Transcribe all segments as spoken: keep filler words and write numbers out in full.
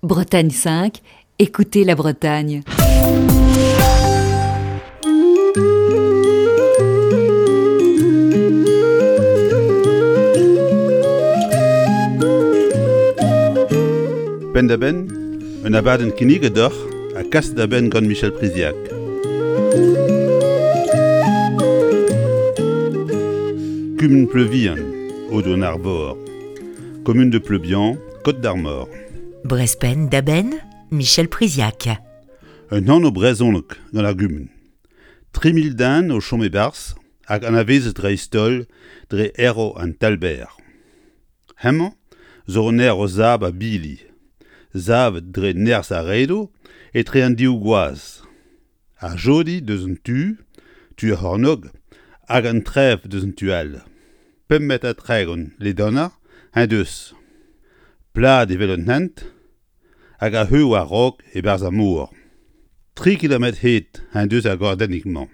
Bretagne cinq, écoutez la Bretagne. Penn-da-benn, un abadenn kinniget deoc'h ha kaset da benn gant Michel Priziac. Kumun Pleuvihan, Aodoù-an-Arvor. Commune de Pleubian, Côte d'Armor. Brezh Penn-da-Benn, Michel Priziac. Un anv brezhonek gant ar gumun. Tri mil den o chom e-barzh hag anavezet dreist-holl dre erv an Talbenn. Hemañ zo un erv sabl ha bili, savet dre nerzh ar redoù etre an div gwazh. Ar Jodi deus un tu, tu ar c'hornôg, hag an Trev deus un tu all. Pemp metr ha tregont ledanoc'h eñ deus. Plat evel un hent hag a heu war-raok e-barzh ar mor. Tri kilometr hed en deus ar gordennig-mañ.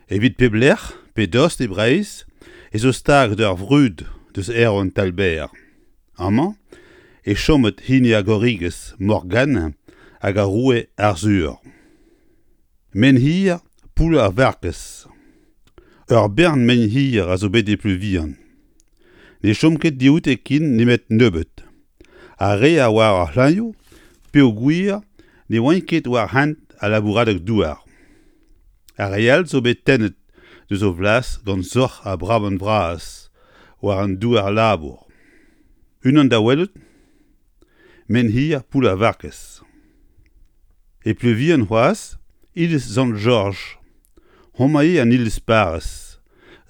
Evit pep lec'h pe dost e Breizh ez eo stag d'ur vrud deus erv an Talbenn. Amañ e chomet hini ar gorrigez Morgane hag ar roue Arzhur. Menhir Poull ar Varkez. Ur bern menhir a zo bet e Pleuvihan. Ne chom ket dioute ken nemet nebeut. Ar re a oar ar c'hlannoù peogwir ne oant ket war hent al labouradeg-douar. Ar re all zo bet tennet deus o flas gant soc'h ha brabant vras war an douar labour. Unan da welout, Menhir Poull ar Varkez. E Pleuvihan c'hoazh, iliz Sant-Jorj. Homañ eo an iliz parrez,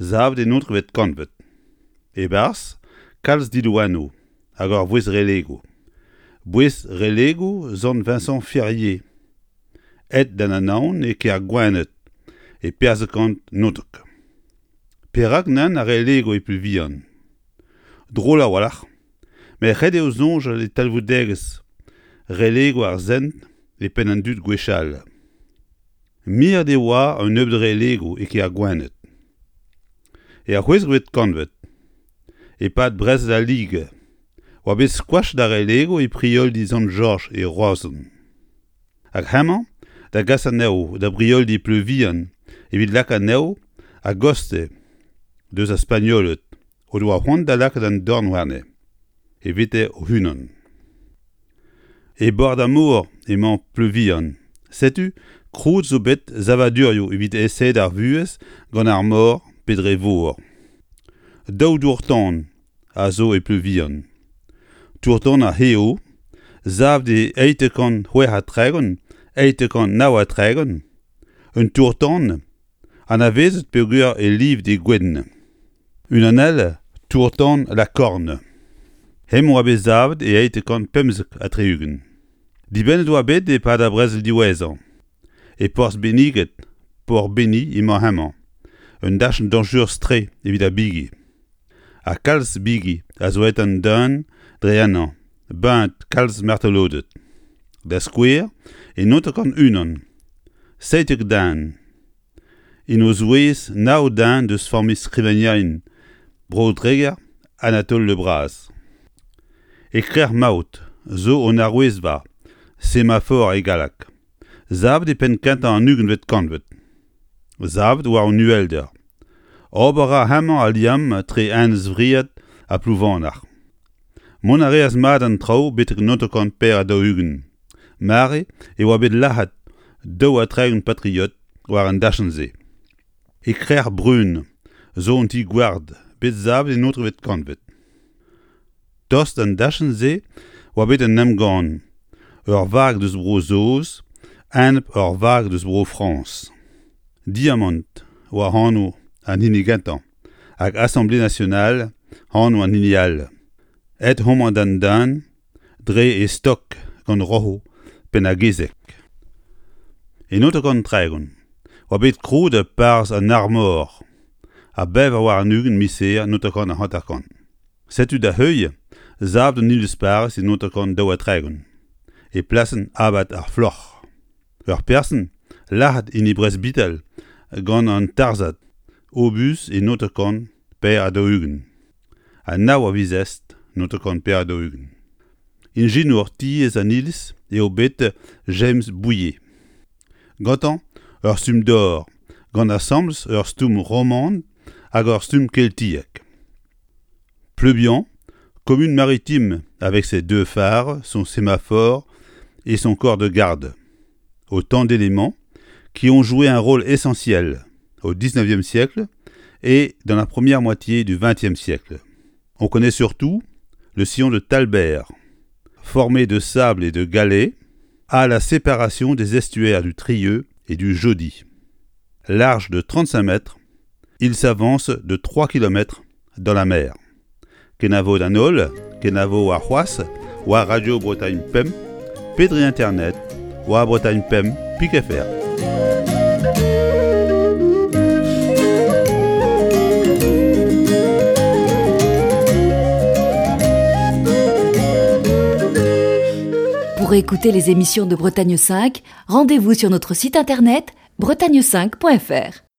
savet en naontekvet kantved. E-barzh, kalz diloanoù hag ur voest relegoù. Boest relegoù Sant Vincent Ferrier. Aet d'an Anaon e kêr Gwened e pevarzek kant naontek. Perak nann ar relegoù e Pleuvihan ? Drol a-walc'h, met ret eo soñjal e talvoudegezh relegoù ar sent e penn an dud gwechall. Miret e oa un nebeud relegoù e kêr Gwened. Er c'hwezekvet kantved, e-pad brezel al Ligue, oa bet skoachet ar relegoù e prioldi Sant-Jorj e Roazhon. Hag hemañ da gas anezho da brioldi Pleuvihan evit lakaat anezho a-gostez deus ar Spagnoled o doa c'hoant da lakaat an dorn warne, evite o-unan. E bord ar mor emañ Pleuvihan. Setu krouet zo bet savadurioù evit aesaat ar vuhez gant ar mor pe dre vor. Daou dour-tan a zo e Pleuvihan. Tour-tan ar C'heo, savet e eizhtek kant c'hwec'h ha tregont, eizhtek kant nav ha tregont, un tour-tan anavezet peogwir e livet e gwenn. Unan all, tour-tan La Corne. Hemañ oa bet savet e eizhtek kant pemzek ha tri-ugent. Dibennet oa bet e-pad ar brezel diwezhañ. E porzh Benniged, Port Beni emañ hemañ, un dachenn dañjerus-tre evit ar bigi. Ha kalz bigi a zo aet an dan dre ennañ, baeet kalz martoloded. Da skouer, e naontek kant unan, seitek den. En o zouez nav den deus familh skrivagnerien Bro-Dreger Anatole Le Braz. E Krec'h Maout zo un arouezva, semafor e galleg. Savet e penn kentañ an ugentvet kantved. Savet war un uhelder. Ober a ra hemañ al liamm etre Enez-Vriad ha Plouvanac'h. Mont a reas mat an traoù betek naontek kant pevar ha daou-ugent. Mare e oa bet lazhet daou ha tregont patriot war an dachenn-se. E Krec'h Brun zo un ti-gward bet savet en naontekvet kantved. Tost d'an dachenn-se oa bet un emgann, ur vag deus Bro-Saoz enep ur vag deus Bro-Frañs. Diamant oa anv an hini gentañ hag Assemblée nationale anv an hini all. Aet homañ d'an dan dre e stok gant roc'hoù Penn-ar-Gezeg. E naontek kant tregont oa bet krouet parzh an Armor ha bevañ warn-ugent miz Here naontek kant hanter-kant. Setu da heuilh savet un iliz-parrez e naontek kant daou ha tregont, e plasenn abad ar Floc'h. Ur person lazhet en e bresbital gant an tarzhad obuz e naontek kant pevar ha daou-ugent. Ha nav a viz Est naontek kant pevar ha daou-ugent. Inginour tiez an iliz eo bet James Bouillé. Gantañ ur stumm dor, gant asambles ur stumm roman hag ur stumm keltiek. Pleubian, commune maritime avec ses deux phares, son sémaphore et son corps de garde. Autant d'éléments qui ont joué un rôle essentiel au dix-neuvième siècle et dans la première moitié du vingtième siècle. On connaît surtout le sillon de Talbert, formé de sable et de galets, à la séparation des estuaires du Trieux et du Jaudy. Large de trente-cinq mètres, il s'avance de trois kilomètres dans la mer. Kenavo d'an holl, kenavo ar c'hoazh, war Radio Bretagne Pemp, pe dre internet, war Bretagne Pemp, pik F R. Pour écouter les émissions de Bretagne cinq, rendez-vous sur notre site internet bretagne cinq point F R.